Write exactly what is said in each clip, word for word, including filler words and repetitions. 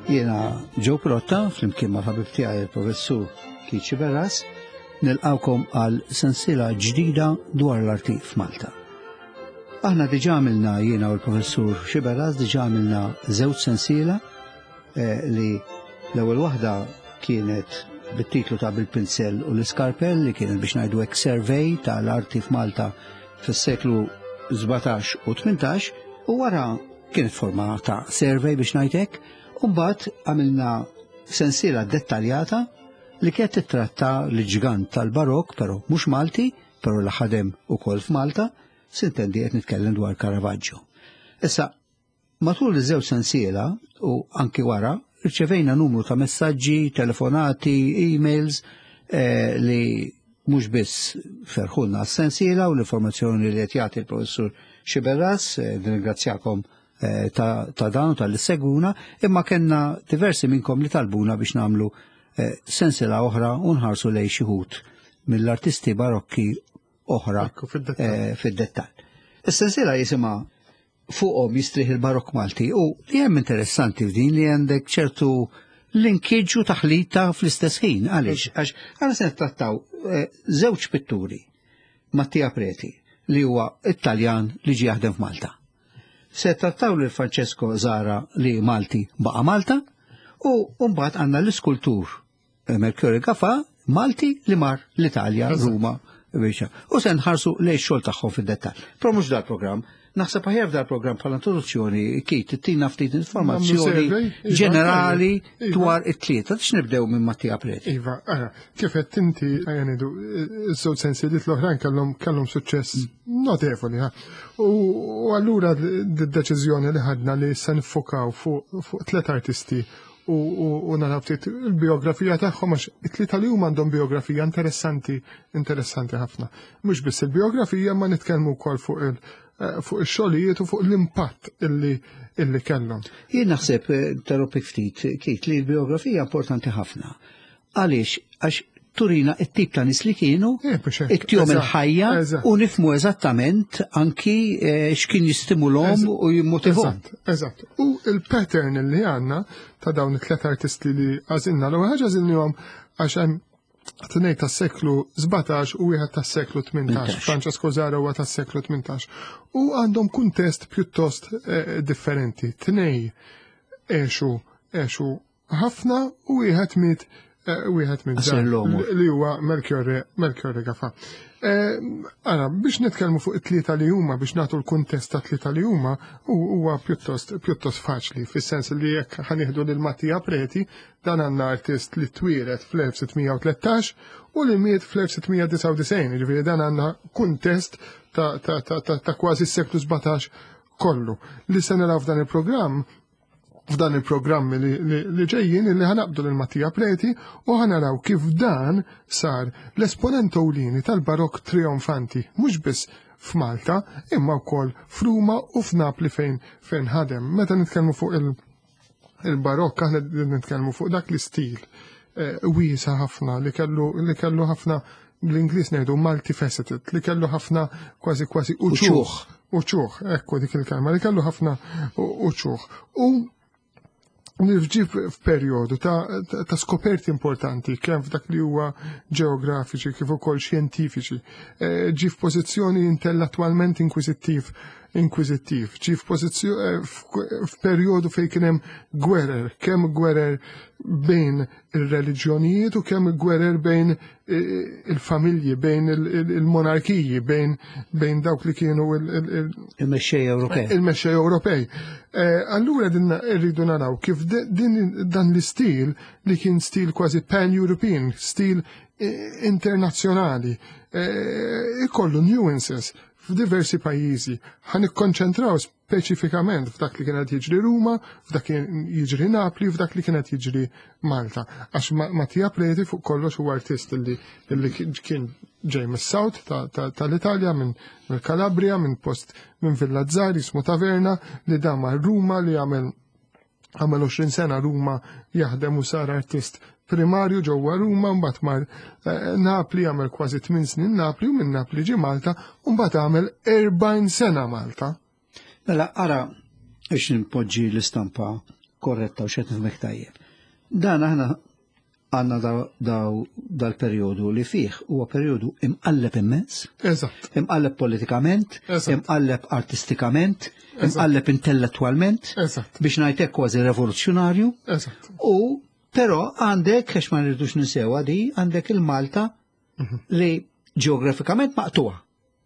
Jiena Joe Pirotta, flimkien mal-ħabib tiegħi il-Professur Keith Sciberras, nilqawkom għal sensiela ġdida dwar l-arti f'Malta. Aħna diġà għamilna, jiena u l-Professur Sciberras diġà għamilna żewġ sensiela eh, li l-ewwel waħda kienet bit-titlu ta' Bil-Pinsell u l-Iskarpell, li kienet biex ngħidu hekk survey tal-arti f'Malta fis-seklu sbatax u tmintax, u wara kienet forma ta' survey biex ngħid hekk, u mbagħad għamilna sensiela dettaljata li kienet titratta l-ġgant tal-Barok, però mhux Malti, però li ħadem ukoll f'Malta, s'intendi qed nitkellem dwar Caravaggio. Issa, matul iż-żewġ sensiela u anki wara, rċevejna numru ta' messaġġi, telefonati, emails eh, li mhux biss ferħulna s-sensiela u l-informazzjoni li qed jagħti l-Professur Sciberras, eh, nirringrazzjakom eh, ta', ta dan u talli ssegwuna, imma kellna diversi minnkom li talbuna biex nagħmlu eh, sensiela oħra u nħarsu lejn xi wħud mill-artisti barokki oħra Ekku, fid-dettall. eh, fid-dettall. Is-sensiela jisimha Fuqhom Jistrieħ il-Barokk Malti, u li hemm interessanti f'din li għandek ċertu linkage u taħlita fl-istess ħin. Għaliex? Għax għana se nittrattaw eh, żewġ pitturi: Mattia Preti, li huwa Italjan li ġie jaħdem f'Malta. Se trattaw lil Francesco Zara, li Malti baqa' Malta, u mbagħad għandna l-iskultur eh, Melchiorre Gafà, Malti li mar l-Italja, Ruma, biex. U se nħarsu lejn xogħol tagħhom fid-dettall. Però mhux dal-programm. Naħseb aħjar f'dal-programm bħala introduzzjoni, Keith, ttina ftit informazzjoni survey, iva, ġenerali iva. dwar it-tlieta. Biex nibdew minn Mattia Preti. Iva, ara, kif qed inti għajanidu, iż-żewġ sensiliet l-oħrajn kellhom kellhom suċċess notevoli. Ha. U u allura d-deċiżjoni li ħadna li se nifokaw fuq fuq tliet artisti u, u, u naraw ftit il-biografija tagħhom, għax it-tlieta li huma għandhom biografija interessanti interessanti ħafna. Mhux biss il-biografija, ma nitkellmu wkoll fuq il- eh, fuq ix-xogħlijiet u fuq l-impatt illi illi kellhom. Jien naħseb, eh, interrompik ftit, Keith, li l-biografija importanti ħafna. Għaliex? Għax turina it-tip ta' nies li kienu, Eh, biex hekk, it-tjom eżatt, il-ħajja eżatt. u nifhmu eżattament anki eh, x'kien jistimulhom u jimmotivhom. Eżatt, eżatt. U il-pattern li għandna ta' dawn it-tlet artisti li għażilna, l-ewwel ħaġa għażilnihom għax hemm tnejn tas-seklu sbatax u wieħed tas-seklu tmintax. Francesco Zara huwa tas-seklu tmintax. U għandhom kuntest pjuttost eh, differenti. Tnej għexu għexu ħafna u wieħed miet eh, wieħed miet Qasir żgħar, l-għomor. li huwa Melchiorre Melchiorre Gafà. Eh, Ara, biex nitkellmu fuq it-tlieta li huma, biex nagħtu l-kuntest ta' tlieta li huma, hu- huwa pjuttost pjuttost faċli, fis-sens li jekk ħa nieħdu lil Mattia Preti, dan għandna artist li twieled fl-elf sitt mija u tlettax u li miet fl-elf sitt mija disgħa u disgħin, ġifieri dan għandna kuntest ta', ta, ta, ta, ta kważi s-seklu sbatax kollu. Li se naraw f'dan il-programm f'dan il-programmi li, li, li ġejjin li ħa naqbdu lil Mattia Preti u ħa naraw kif dan sar l-esponent ewlieni tal-Barok trionfanti, mhux biss f'Malta, imma wkoll f'Ruma u f'Napli fejn fejn ħadem. Meta nitkellmu fuq il- il-Barokk, aħna nitkellmu fuq dak l-istil eh, wiesa ħafna li kellu li kellu ħafna, l-Ingliż ngħidu multifaceted, li kellu ħafna kważi kważi uċuħ. Uċuħ, ekku dik il-kelma, li kellu ħafna uċuħ. U li ġie f'perjodu ta', ta, ta' skoperti importanti, kemm f'dak li huwa ġeografiċi kif ukoll xjentifiċi. Eh, ġie f'pożizzjoni intellettwalment inkwiżittiv inkwiżittiv, ġie f'pożizzjoni f'perjodu fejn kien hemm gwerer, kemm gwerer bejn ir-reliġjonijiet u kemm gwerer bejn eh, il-familji, bejn il-monarkiji, bejn bejn dawk li kienu il-mexxej Ewropej. Il-mexxej Ewropej. Eh, allura din irridu naraw kif din dan l-istil li kien stil kważi pan-European, stil eh, internazzjonali, ikollu nuances f'diversi pajjiżi. Ħa nikkonċentraw speċifikament f'dak li kienet jiġri Ruma, f'dak li jiġri Napli, f'dak li kienet jiġri Malta. Għax Mattia Preti fuq kollox huwa artist li, li kien ġej mis-South tal-Italja, minn Calabria, minn post minn Villazzar jismu Taverna, li dama Ruma, li għamel għamel għoxrin sena Ruma jaħdem u sar artist primarju ġewwa Ruma, mbagħad mar eh, Napli, għamel kważi tmien snin Napli, u minn Napli ġie Malta u mbagħad għamel erbgħin sena Malta. Mela ara biex nimpoġġi l-istampa korretta u xed nifhmek tajjeb. Dan aħna għandna daw dal-perjodu li fih huwa perjodu imqalleb immens. Eżatt. Imqalleb politikament, imqalleb artistikament, imqalleb intellettwalment. Eżatt. Biex ngħidlek kważi revoluzzjonarju. Eżatt. U però għandek, għax ma rridux ninsewa di, għandek il-Malta li ġeografikament maqtuha.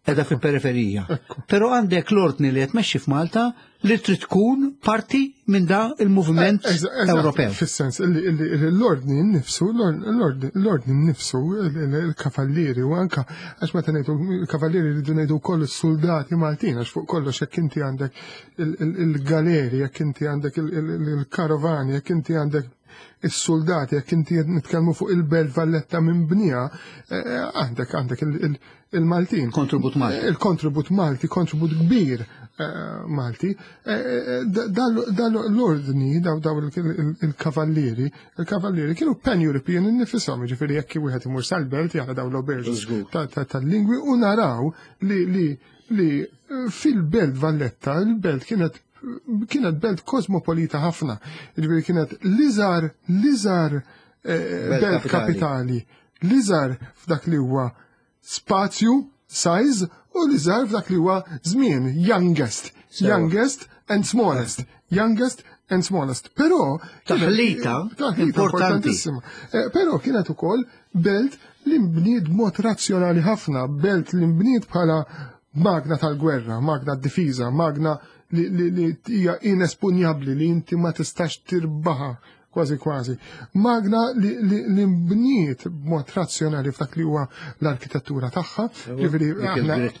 Edha fil-periferija. Però għandek l-ordni li qed tmexxi f'Malta li trid tkun parti minn da il-moviment Ewropew. Fis-sens l-ordni nnifsu, l-ordni nnifsu, il-kavallieri u anka għax meta ngħidu il-kavallieri rridu ngħidu wkoll is-soldati Maltin, għax fuq kollox jekk inti għandek il-galeri, jekk inti għandek il-karovani, jekk inti għandek is-soldati, jekk inti nitkellmu fuq il-Belt Valletta minn bnija, għandek għandek il-Maltin. Kontribut Malti. Il-kontribut Malti, kontribut kbir Malti. Dal-ordni, daw il-kavallieri, il-kavallieri kienu pan-European innifisom, ġifieri jekk wieħed imur sal-belt jara daw l-oberġi tal-lingwi u naraw li fil-Belt Valletta, il-belt kienet kienet belt kosmopolita ħafna, ġifieri kienet l-iżgħar l-iżgħar belt kapitali, l-iżgħar f'dak li huwa spazju, size, u l-iżgħar f'dak li huwa żmien, youngest, youngest and smallest, youngest and smallest. Però taħlita importantissima. Però kienet ukoll belt li nbniet b'mod razzjonali ħafna, belt li nbniet bħala magna tal-gwerra, magna d-difiża, magna li hija inespunjabbli, li inti ma tistax tirbaħa kważi kważi. Magna li nbniet b'mod razzjonali f'dak li huwa l-arkitettura tagħha. Ġifieri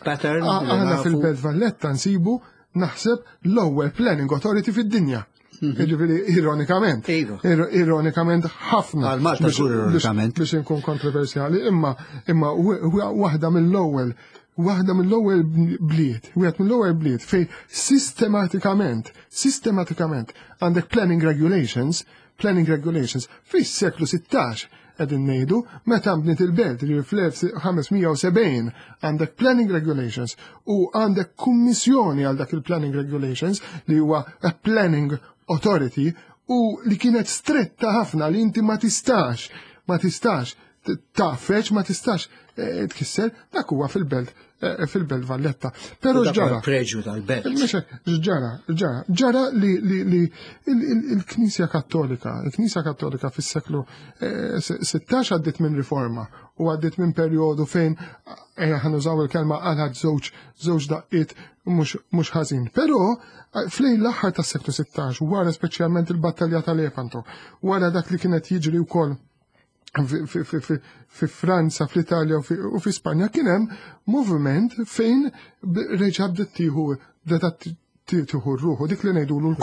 aħna fil-Belt Valletta nsibu naħseb l-ewwel planning authority fid-dinja. Ġifieri ironikament. Ironikament ħafna. Għal Malta żgur ironikament. Biex inkun kontroversjali, imma imma waħda mill-ewwel waħda mill-ewwel bliet, wieħed mill-ewwel bliet fej sistematikament, sistematikament għandek planning regulations, planning regulations fis-seklu sittax qegħdin ngħidu meta nbniet il-belt li fl-elf ħames mija u sebgħin għandek planning regulations u għandek kummissjoni għal dak il-planning regulations li huwa a planning authority u li kienet stretta ħafna li inti ma tistax, ma tistax tafeċ, ma tistax tkisser, dak huwa fil-belt fil-Belt Valletta. Però ġara. Preġju tal-belt. Ġara, ġara, ġara li il-Knisja Kattolika, il-Knisja Kattolika fis-seklu sittax għaddiet minn riforma u għaddiet minn perjodu fejn ħanużaw il-kelma għal żewġ żewġ daqqiet mhux ħażin. Però flejn l-aħħar tas-seklu sittax, wara speċjalment il-battalja tal-Lepanto, wara dak li kienet jiġri wkoll fi Franza, fl-Italja u fi Spanja, kien hemm moviment fejn reġa' bdiet tieħu bdiet tieħu ruħu dik li ngħidulu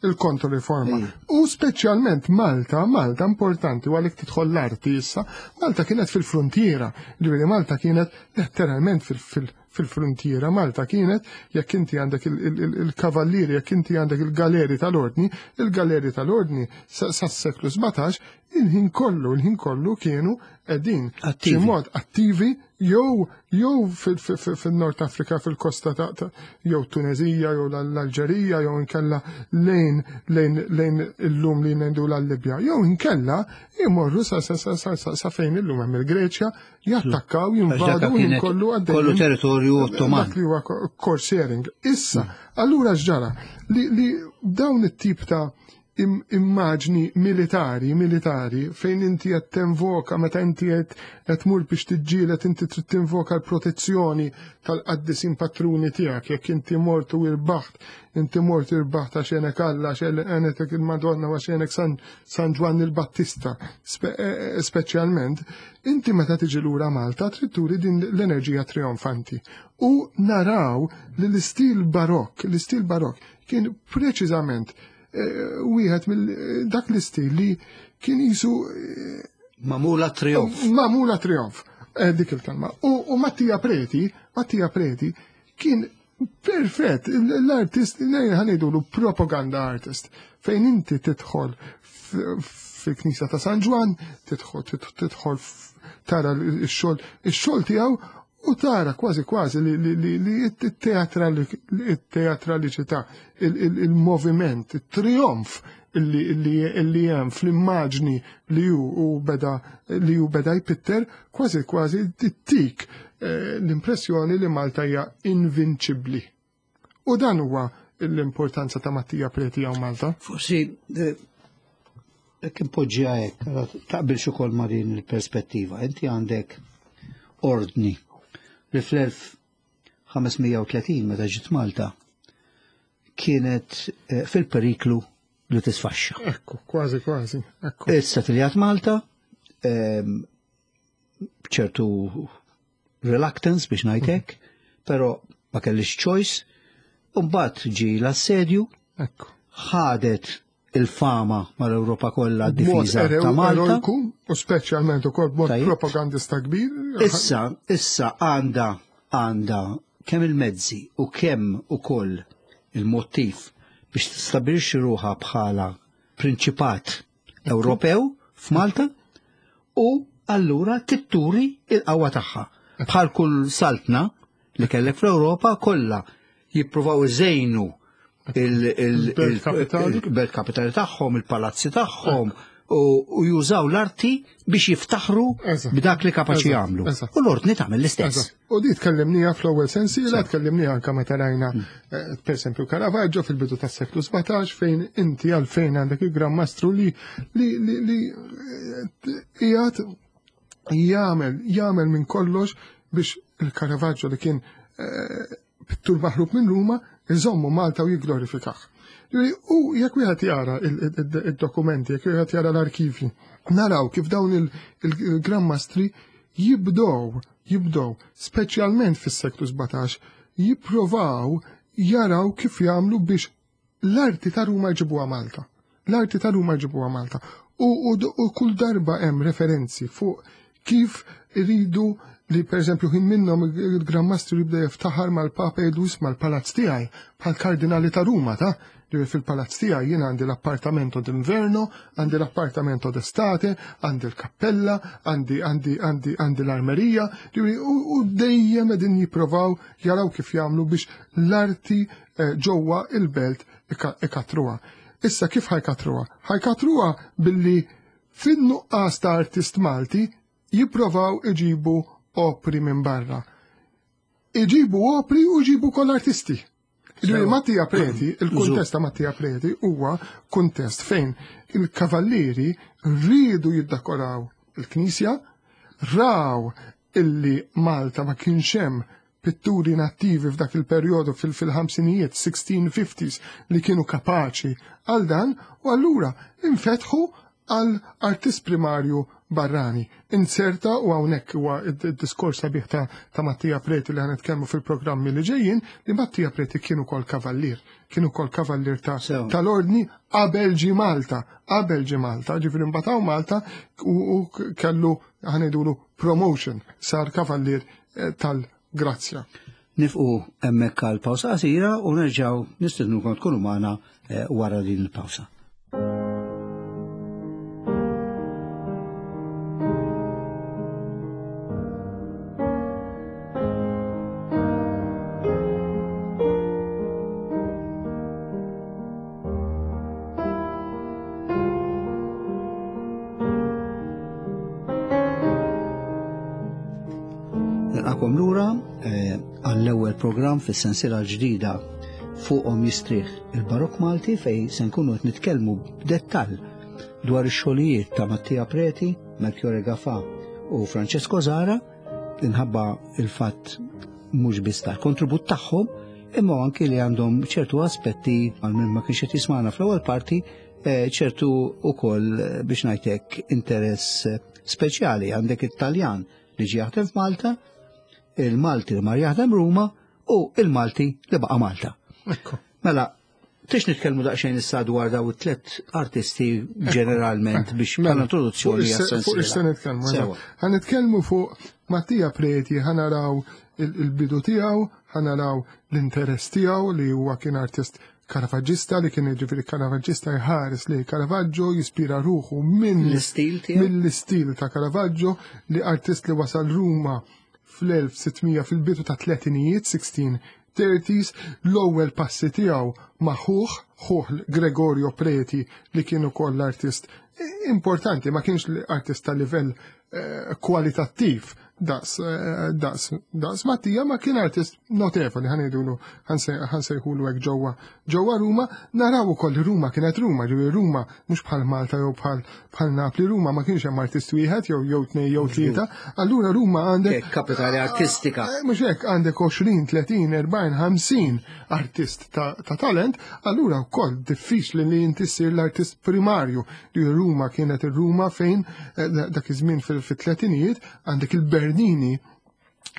il-kontro-riforma. U speċjalment Malta, Malta importanti u għalhekk tidħol l-arti issa, Malta kienet fil-frontiera, ġifieri Malta kienet letteralment fil-frontiera, Malta kienet jekk inti għandek il-kavallieri, jekk inti għandek il-galeri tal-ordni, il-galeri tal-ordni sas-seklu sbatax, il-ħin kollu, il-ħin kollu kienu qegħdin xi mod attivi jew jew fil-Nord Afrika, fil-kosta ta' jew Tunezija, jew l-Alġerija, jew inkella lejn lejn lejn illum li ngħidu l-Libja, jew inkella imorru sa sa sa sa fejn illum hemm il-Greċja, jattakkaw, jinvadu, kollu għaddej. Kollu territorju Ottoman. Dak li huwa corsairing. Issa, allura x'ġara li dawn it-tip ta' immaġni militari, militari, fejn inti qed tinvoka, meta inti qed tmur biex tiġġieled, inti trid tinvoka l-protezzjoni tal-qaddisin patruni tiegħek, jekk inti mort u irbaħt, inti mort irbaħt għax għenek Alla, għax għenek il-Madonna, għax għenek San Ġwanni l-Battista, speċjalment, inti meta tiġi lura Malta trid turi din l-enerġija trionfanti. U naraw li l-istil barokk, l-istil barokk kien preċiżament wieħed mill dak l-istil li kien jisu Mamula trionf. Mamula trionf, dik il-kelma. U Mattia Preti, Mattia Preti kien perfett, l-artist, ħanidulu propaganda artist, fejn inti tidħol fil-Knisja ta' San Ġwann, tidħol tidħol tara x-xogħol, ix-xogħol tiegħu u tara kważi kważi li t-teatraliċità, il-moviment, il-trionf illi illi illi hemm fl-immaġni li hu beda li hu beda jpitter kważi kważi tittik eh, l-impressjoni li Malta hija invinċibbli. U dan huwa l-importanza ta' Mattia Preti hawn Malta. Forsi eh, jekk impoġġiha hekk, taqbilx ukoll ma' din il-perspettiva. Inti għandek ordni li fl-elf ħames mija u tletin meta ġiet Malta kienet, eh, fil-periklu li tisfaxxa. Ekku, kważi, kważi, ekku. Issa tiljat Malta, ehm, ċertu reluctance biex ngħidlek, però ma kellix choice, u mbagħad ġie l-assedju, Ekku. ħadet il-fama mal-Ewropa kollha B'mod d-difiża erew- ta' Malta. eroiku, u speċjalment ukoll b'mod Tajjeb. propagandista kbir. Issa, issa għandha, għandha kemm il-mezzi u kemm ukoll il-mottiv biex tistabbilixxi ruħha bħala prinċipat Ewropew f'Malta u allura titturi il-qawwa tagħha. Bħal kull saltna li kellek fl-Ewropa kollha jippruvaw iżejnu il-, il-, Il-belt kapitali. il-belt kapitali tagħhom, il-palazzi tagħhom, u, u jużaw l-arti biex jiftaħru Eżatt. b'dak li kapaċi Eżatt, jagħmlu. eżatt. U l-ordni tagħmel l-istess. Eżatt. U di tkellimniha fl-ewwel sensiela, tkellimniha anke meta rajna, Mm. eh, per esempio Caravaggio fil-bidu tas-seklu sbatax fejn inti għalfejn għandek il-Gran Mastru li, li, li, li, eh, qiegħed jagħmel, jagħmel minn kollox biex il-Caravaggio li kien, eh, pittur maħrub minn Ruma iżommu Malta u jigglorifikah. Ġifieri, u jekk wieħed jara il-, il-, il-, il-dokumenti, jekk wieħed jara l-arkivi, naraw kif dawn il-, il-, il-Gran Mastri jibdow, jibdow, speċjalment fis-seklu sbatax, jipprovaw jaraw kif jagħmlu biex l-arti ta' Ruma jġibuha Malta. L-arti ta' Ruma jġibuha Malta. U, u, u kull darba hemm referenzi fuq kif iridu li per eżempju ħin minnhom il-Gran Mastru jibda jiftaħar mal-Papa Edus mal-palazz tiegħi bħal kardinali ta' Ruma ta' li fil-palazz tiegħi jien għandi l-appartamento d'inverno, għandi l-appartamento d'estate, għandi l-kappella, għandi, għandi, għandi, għandi l-armerija, ġifieri, u, u dejjem qegħdin jipprovaw jaraw kif jagħmlu biex l-arti, eh, ġewwa il-belt ika-, ikatruha. Issa kif ħajkatruha? Ħajkatruha billi fin-nuqqas ta' artist Malti jipprovaw iġibu opri minn barra. Iġibu opri u iġibu kol artisti. Ġifieri Sewa. Mattia Preti, il-kuntest Żur. ta' Mattia Preti huwa kuntest fejn il-kavallieri rridu jiddekoraw il-knisja, raw illi Malta ma kienx hemm pitturi nattivi f'dak il-perjodu fil-, fil-ħamsinijiet, sixteen fifties, li kienu kapaċi għal dan, u allura infetħu għal artist primarju barrani. Inserta, u hawnhekk huwa id-diskors sabiħ ta', ta' Mattia Preti li ħanitkellmu fil-programmi li ġejjin, li Mattia Preti kienu kol kavallier, kienu kol kavallier ta' Sew. tal-ordni qabel ġi Malta, qabel ġi Malta, ġifieri mbagħad hawn Malta u, u kellu ħanejdulu promotion, sar kavallier, eh, tal-Grazzja. Nifqu hemmhekk għal pawsa qasira u nerġgħu nistednukom tkunu magħna, eh, wara din il-pawsa. Nilqakom lura, eh, għall-ewwel programm fis-sensiela l-ġdida fuqhom jistrieħ il-Barokk Malti, fej se nkunu qed nitkellmu b'dettall dwar ix-xogħlijiet ta' Mattia Preti, Melchiorre Gafà u Francesco Zahra, minħabba il-fatt mhux biss tal-kontribut tagħhom, imma anki li għandhom ċertu aspetti għal min ma kienx qed jismagħna fl-ewwel parti, eh, ċertu ukoll, eh, biex ngħidlek interess, eh, speċjali. Għandek it-Taljan li ġie jaħdem f'Malta, il-Malti li mar jaħdem Ruma u il-Malti li baqa' Malta. Ekku. Mela, tix nitkellmu daqsxejn issa dwar daw it-tliet artisti ġeneralment biex Mela, bħala introduzzjoni fuq ix-se-, għas-sensiela. fuq ix-se nitkellmu, eżatt. Sewa. Ħa nitkellmu fuq Mattia Preti, ħa naraw il-, il-bidu tiegħu, ħa naraw l-interess tiegħu li huwa kien artist Caravaggista, li kien jiġifieri Caravaggista jħares li Caravaggio jispira ruħu minn L-istil tiegħu? mill-istil ta' Caravaggio, li artist li wasal Ruma fl-elf sittmija fil-bidu ta' tletinijiet, sixteen thirties, l-ewwel passi tiegħu ma' ħuh, ħuh Gregorio Preti li kien ukoll l-artist importanti, ma kienx artist ta' livell eh, kwalitattiv daqs, eh, daqs, daqs Mattia, ma kien artist notevoli, ħa ngħidulu, ħa nsejħulu hekk ġewwa ġewwa Ruma. Naraw ukoll li Ruma kienet Ruma, ġifieri Ruma mhux bħal Malta jew bħal bħal Napli, Ruma ma kienx hemm artist wieħed jew jew tnejn jew tlieta, allura Ruma għandek Kapitali artistika. Eh, Mhux hekk, għandek għoxrin, tletin, erbgħin, ħamsin artist ta', ta talent, allura wkoll diffiċli li inti ssir l-artist primarju. Li Ruma kienet ir-Ruma fejn eh, dak iż-żmien fil-tletinijiet għandek il-Bernini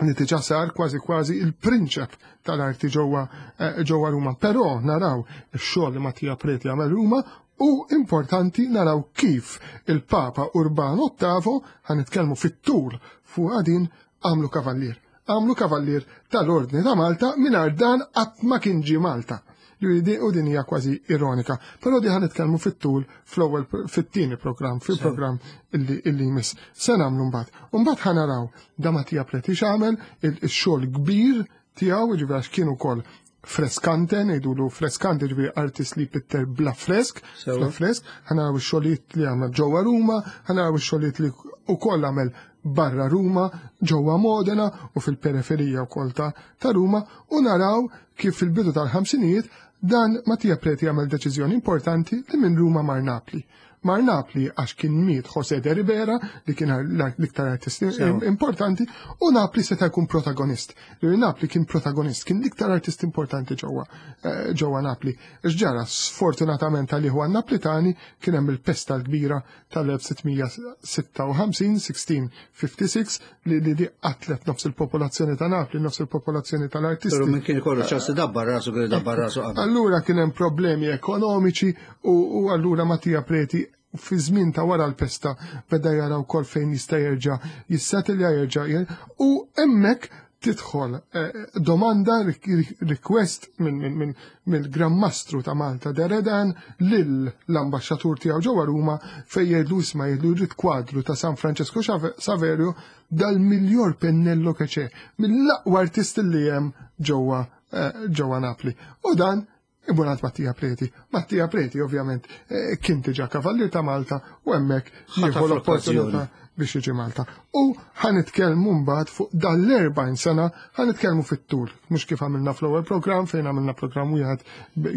li diġà sar kważi kważi il-prinċep tal-arti ġewwa eh, ġewwa Ruma. Però naraw ix-xogħol li Mattia Preti għamel Ruma u importanti naraw kif il-Papa Urbano Ottavo, ħa nitkellmu fit-tul fuq din, għamlu kavallier. Għamlu kavallier tal-Ordni ta' Malta, mingħajr dan qatt ma kien ġie Malta. U din hija kważi ironika. Però di ħa nitkellmu fit-tul fl-ewwel fit-tieni programm, fil-programm illi illi jmiss. Se nagħmlu mbagħad. Mbagħad ħa naraw da Mattia Preti x'għamel, il-xogħol kbir tiegħu, ġifieri għax kien ukoll freskante, ngħidulu freskante, ġifieri artist li pitter bla fresk, bla fresk, ħa naraw ix-xogħlijiet li għamel ġewwa Ruma, ħa naraw ix-xogħlijiet li wkoll għamel barra Ruma, ġewwa Modena u fil-periferija wkoll ta' ta' Ruma, u naraw kif fil-bidu tal-ħamsinijiet dan Mattia Preti għamel deċiżjoni importanti li minn Ruma mar Napli. Mar Napli għax kien miet José de Ribera, li kien l-iktar artist importanti, u Napli seta' jkun protagonist. Li Napli kien protagonist, kien l-iktar artist importanti ġewwa eh, ġewwa Napli. X'ġara, sfortunatament għalih u Naplitani, kien hemm il-pesta l-kbira tal-elf sitt mija sitta u ħamsin, sixteen fifty-six, li li di qatlet nofs il-popolazzjoni ta' Napli, nofs il-popolazzjoni tal-artisti. Però min kien ikollu ċans dabbar rasu kien dabbar rasu qabel. Allura kien hemm problemi ekonomiċi u, u allura Mattia Preti fi żmien ta' wara l-pesta beda jara wkoll fejn jista' jerġa' jissettilja, jerġa' u hemmhekk tidħol eh, domanda, request minn mill-Gran Mastru ta' Malta de Redin lill-ambaxxatur tiegħu ġewwa Ruma, fejn jgħidlu, isma', jgħidlu, jrid kwadru ta' San Francesco Saverio dal-miglior pennello che c'è, mill-aqwa artist li hemm ġewwa eh, ġewwa Napli. U dan Ibunat Mattia Preti. Mattia Preti ovvjament eh, kien diġà kavallier ta' Malta u hemmhekk jieħu l-opportunità biex jiġi Malta. U ħa nitkellmu mbagħad fuq dal-erbgħin sena, ħa nitkellmu fit-tul, mhux kif għamilna fl-ewwel programm fejn għamilna programm wieħed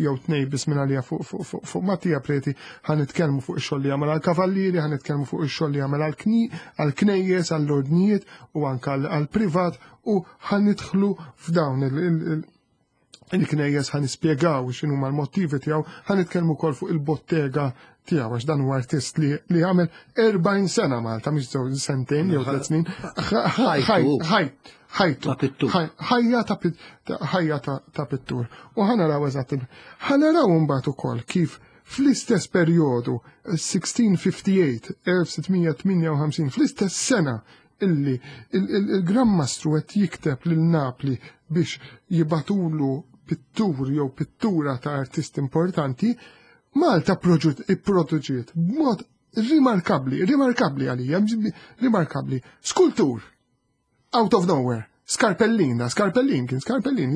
jew tnejn biss minn għalija fuq fuq fuq fuq Mattia Preti. Ħa nitkellmu fuq ix-xogħol li għamel għall-kavallieri, ħa nitkellmu fuq ix-xogħol li għamel għall-knejjes, għall-ordnijiet u anke għall-privat u ħa nidħlu f'dawn il- il-knejjes, ħa nispjegaw x'inhu l-motivi tiegħu, ħa nitkellmu wkoll fuq il-bottega tiegħu għax dan huwa artist li li għamel erbgħin sena Malta, mhux żewġ sentejn jew tliet snin. Ħajtu. Ħajja ta' ħajja ta' pittur. U ħa naraw eżatt. Ħa naraw mbagħad ukoll kif fl-istess perjodu sixteen fifty-eight, elf sitt mija tmienja u ħamsin, fl-istess sena illi il-Gran Mastru qed jikteb lil Napli biex jibagħtulu pittur jew pittura ta' artist importanti, Malta ipproduċiet b'mod rimarkabli, rimarkabli għalija, rimarkabli, skultur, out of nowhere, Scarpellina, Scarpellin, kien Scarpellin,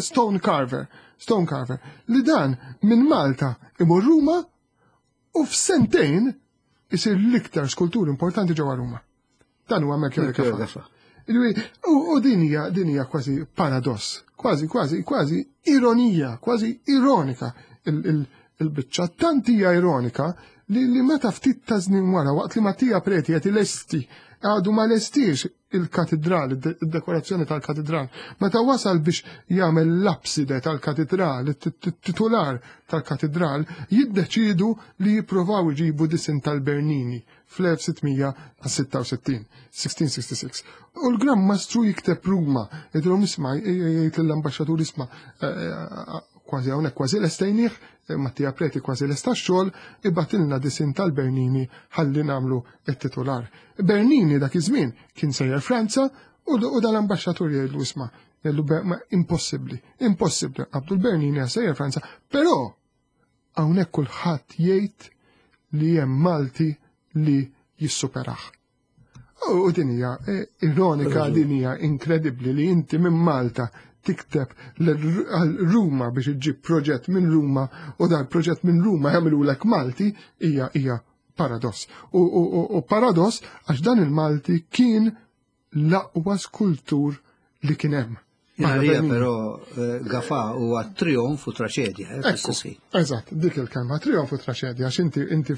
stone carver, stone carver, li dan minn Malta imur Ruma u f'sentejn isir l-iktar skultur importanti ġewwa Ruma. Dan huwa Melchior Gafà. U din hija din hija kważi paradoss, kważi kważi kważi ironija, kważi ironika il-biċċa. Tant hija ironika li, li meta ftit ta' żmien wara, waqt li Mattia Preti qed ilesti, għadu ma lestix il-katedral, il-dekorazzjoni tal-katedral, meta wasal biex jagħmel l-abside tal-katedral, it-titular tal-katedral, jiddeċidu li jippruvaw iġibu disin tal-Bernini fl-elf sitt mija sitta u sittin, sixteen sixty-six. U l-Gran Mastru jikteb Ruma, jgħidilhom, isma', jgħid l-ambaxxatur, isma', eh, eh, kważi hawnhekk kważi lestejnieh, Mattia Preti kważi lesta x-xogħol, ibagħtilna disin tal-Bernini ħalli nagħmlu it-titular. Bernini dak iż-żmien kien sejjer Franza u dal-ambaxxatur jgħidlu, isma', jgħidlu, ma impossibbli, impossibbli, qabdu l-Bernini sejjer Franza, però hawnhekk kulħadd jgħid li hemm Malti li jissuperaħ. U din hija eh, ironika, din hija inkredibbli li inti minn Malta tikteb għal Ruma biex iġġib proġett minn Ruma u dan proġett minn Ruma jagħmilulek Malti hija hija paradoss. U, u, u, u paradoss għax dan il-Malti kien l-aqwa skultur li kien hemm. Għalija però eh, Gafà huwa trionf u traċedja. Eh, eżatt, dik il-kelma, trionf u traċedja, għax inti inti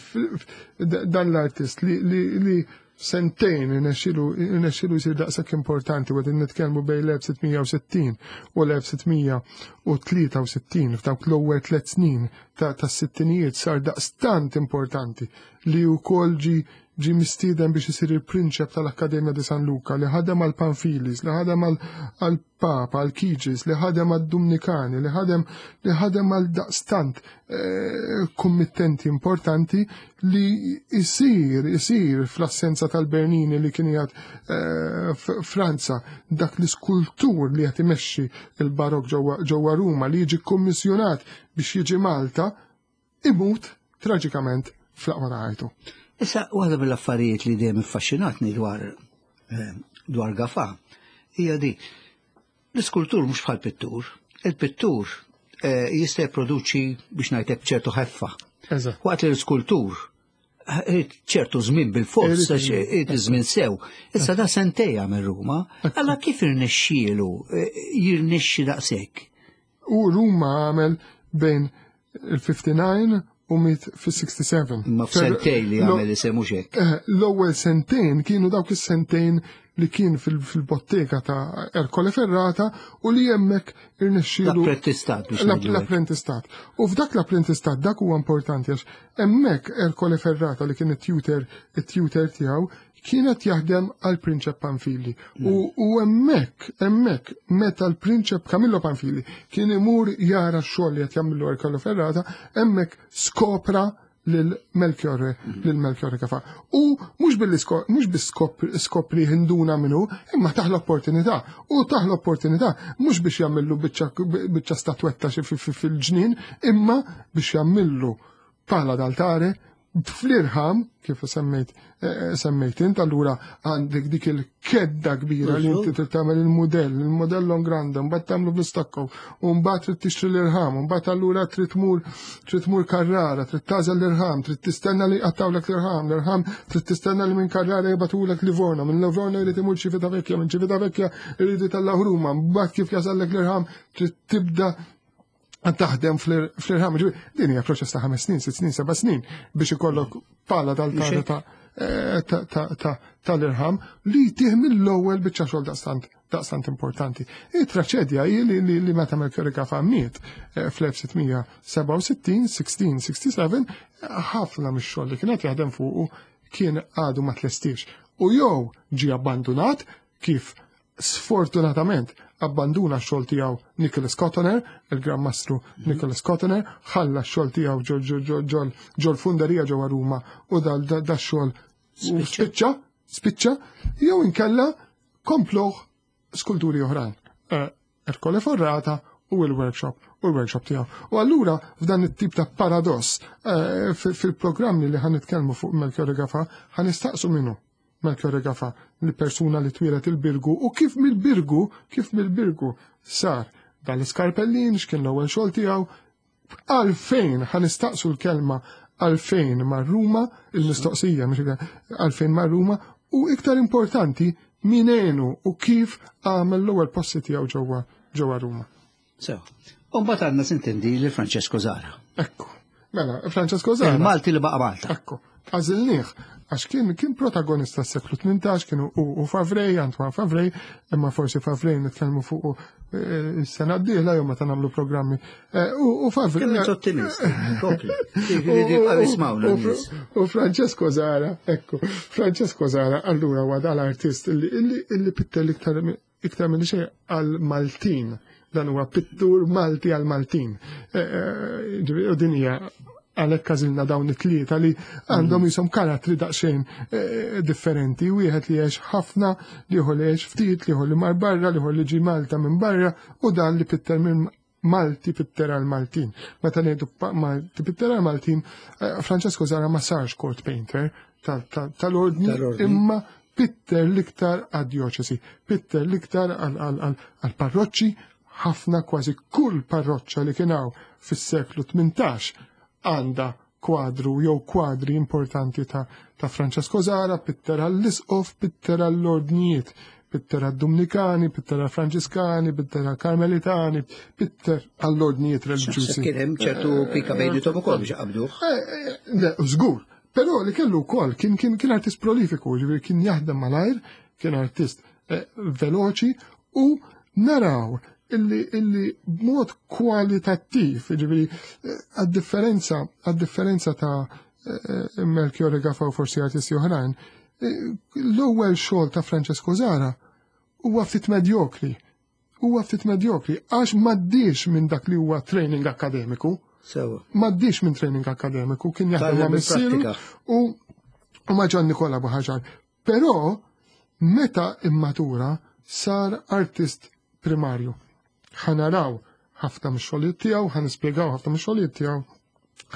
dan l-artist li, li, li sentejn irnexxielu jsir daqshekk importanti u qegħdin nitkellmu bejn l-elf sitt mija u sittin u l-elf sitt mija u tlieta u sittin, f'dawk l-ewwel tliet snin tas-sittinijiet sar daqstant importanti li wkoll ġi ġi mistieden biex isir il-prinċep tal-Akkademja di San Luca, li ħadem għal Panfilis, li ħadem għal Papa, għal Chigis, li ħadem għal Dumnikani, li ħadem li ħadem għal daqstant eh, kommittenti importanti li isir, isir fl-assenza tal-Bernini li kien jgħad eh, Franza, dak l-iskultur li qed imexxi il-barok ġewwa Ruma li jiġi kommissjonat biex jiġi Malta, imut traġikament fl-aqwa ta' ħajtu. Issa, waħda mill-affarijiet li dejjem iffaxxinatni dwar eh, dwar Gafà hija di. L-iskultur mhux bħal pittur. Il-pittur eh, jista' jipproduċi, biex ngħidlek, ċertu ħeffa. Waqt li l-iskultur eh, ċertu żmien bil-fors, irid żmien sew. Issa da sentejn minn Ruma, alla kif irnexxielu jirnexxi daqshekk? U Ruma għamel bejn il-ħamsa u ħamsin u miet fis-sitta u sittin. Ma f'sentejn li għamel isemu hekk. Eh, l-ewwel sentejn kienu dawk is-sentejn li kien fil-bottega ta' Ercole Ferrata u li hemmhekk irnexxielu. L-apprentistat biex L-apprentistat. U f'dak l-apprentistat, dak huwa importanti għax hemmhekk Ercole Ferrata, li kien it-tutor it-tutor tiegħu, kienet jaħdem għal Prinċep Panfili. U hemmhekk, hemmhekk, meta l-Prinċep Camillo Panfili kien imur jara x-xogħol li qed jagħmlu Ercole Ferrata, hemmhekk skopra lil Melchiorre, lil Melchiorre Gafà. U mhux billi mhux biss skopri, induna minnu, imma tah l-opportunità. U tah l-opportunità mhux biex jagħmillu biċċa statwetta fil-ġnien, imma biex jagħmillu pala d'altare fl-irħam, kif semmejt eh, semmejt int, allura għandek dik il-kedda kbira li inti trid tagħmel il-mudell, il-modell in grande, mbagħad tagħmlu bl-istakko, u mbagħad trid tixtri l-irħam, u mbagħad allura trid tmur trid tmur Carrara, trid tagħżel l-irħam, trid tistenna li qattawlek l-irħam, l-irħam trid tistenna li minn Carrara jibagħtulek Livorno, minn Livorno jrid imur Civitavecchia, minn Civitavecchia jrid jtellgħu Ruma, mbagħad kif jasallek l-irħam trid tibda taħdem fl-irħam. Din hija proċess ta' ħames snin, sitt snin, seba' snin biex ikollok pala d'altare ta' tal-irħam li tih mill-ewwel biċċa xogħol daqstant daqstant importanti. Il-traċedja hi li, li, li meta Melchiorre Gafà miet eh, fl-elf sitt mija u sebgħa u sittin, elf sitt mija u sebgħa u sittin, ħafna mix-xogħol li kienet jaħdem fuqu kien għadu ma tlestix. U jew ġi abbandunat, kif sfortunatament abbanduna x-xogħol tiegħu Nicholas Cottoner, il-Gran Mastru Nicholas Cottoner, ħalla x-xogħol tiegħu ġol funderija ġewwa Ruma u dal da xogħol u spiċċa, spiċċa, jew inkella kompluh skulturi oħrajn. Eh, Ercole Ferrata u il-workshop u l-workshop tiegħu. U allura f'dan it-tip ta' paradoss eh, fil-programmi li ħa nitkellmu fuq Melchiorre Gafà ħa nistaqsu minnu Melchiorre Gafà, li persuna li twieled il-Birgu u kif mill-Birgu, kif mill-Birgu sar dal-iskarpellin, x'kien l-ewwel xogħol tiegħu, għalfejn ħa nistaqsu l-kelma għalfejn mar Ruma, il-mistoqsija mhux għalfejn mar Ruma, u iktar importanti min għenu u kif għamel l-ewwel passi tiegħu ġewwa ġewwa Ruma. So, u mbagħad għandna sintendi li Francesco Zara. Ekku. Mela, Francesco Zara. Il-Malti li baqa' Malta. Ekku. Għażilnieh għax kien kien protagonista s-seklu tmintax, kienu u, u Favrej, Antoine Favrej, imma forsi Favrej nitkellmu fuq eh, is-sena d-dieħla jew meta nagħmlu programmi. Eh, U, u Favrej. Kemm int ottimist, kompli. Jiġifieri jibqgħu jismawna U- n-nies. U Francesco Zara, ekku, Francesco Zara allura huwa dal-artist illi illi illi pitter iktar iktar minn xejn għal Maltin. Dan huwa pittur Malti għal Maltin. Eh, eh, ġifieri, u din hija għalhekk għażilna dawn it-tlieta li għandhom jisom karattri daqsxejn eh, differenti. Wieħed li għex ħafna, l-ieħor li għex ftit, l-ieħor li mar barra, l-ieħor li ġi Malta minn barra, u dan li pitter minn Malti, pitter għal Maltin. Meta ngħidu pa- Malti pitter għal Maltin, eh, Francesco Zara ma sarx court painter tal- tal- tal-ordni, Tal-ordni. imma pitter l-iktar għad-dioċesi, pitter l-iktar għal-parroċċi, Ħafna, kważi kull parroċċa li kien hawn fis-seklu tmintax għandha kwadru jew kwadri importanti ta', ta' Francesco Zara, pitter għall-Isqof, pitter għall-Ordnijiet, pitter għad-Dominikani, pitter għall-Franġiskani, pitter għall-Karmelitani, pitter għall-Ordnijiet reliġjużi. Kien hemm ċertu pika bejnietom ukoll biex qabduh. Eh, eh, żgur, però li kellu wkoll kien kien kien artist prolifiku, ġifieri kien jaħdem malajr, kien artist eh, veloċi u naraw illi illi b'mod kwalitattiv, ġifieri għad-differenza għad-differenza ta' eh, Melchiorre Gafà u forsi artisti oħrajn, eh, l-ewwel xogħol ta' Francesco Zara huwa ftit medjokri. Huwa ftit medjokri għax m'għaddiex minn dak li huwa training akademiku. Sewa. M'għaddiex minn training akademiku, kien jaħdem ma' missieru u u ma' Gian Nikola Buhagiar. Però meta immatura sar artist primarju. Ħa naraw ħafna mix-xogħlijiet tiegħu, ħa nispjegaw ħafna mix-xogħlijiet tiegħu,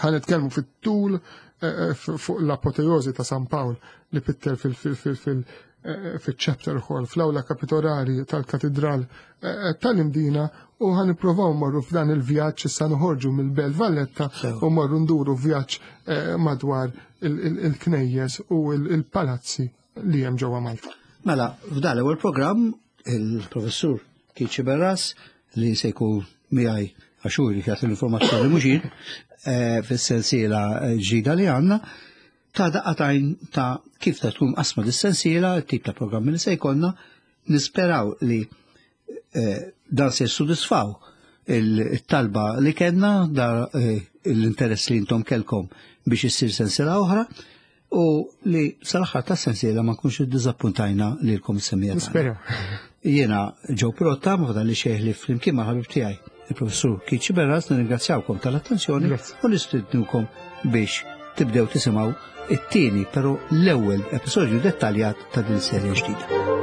ħa nitkellmu fit-tul eh, fuq l-apoteosi ta' San Pawl li pitter fil-chapter hall, fl-awla kapitolari tal-katedral eh, tal-Imdina, u ħa nippruvaw morru f'dan il-vjaġġ issa noħorġu mill-Belt Valletta u morru nduru vjaġġ eh, madwar il-knejjes u il-palazzi li hemm ġewwa Malta. Mela, f'dan l-ewwel programm il-professur Keith Sciberras, li se jkun miegħi għax hu jrid jagħti l-informazzjoni mhux jien, eh, fis-sensiela ġdida li għandna, ta' daqqa t'għajn ta' kif ta' tkun qasma dis-sensiela, tip ta' programmi li se jkollna, nisperaw li eh, dan se jissodisfaw il-talba li kellna, da eh, l-interess li intom kelkom biex issir sensiela oħra, u li sal-aħħar ta' sensiela ma nkunx iddiżappuntajna lilkom is-semmiegħa. Nisperaw. Jiena Joe Pirotta, ma fadalli xejn li flimkien ma' ħabib tiegħi, il-professur Keith Sciberras, nirringrazzjawkom tal-attenzjoni Grazzi. u nistednukom biex tibdew tisimgħu it-tieni, però l-ewwel episodju dettaljat ta' din serje ġdida.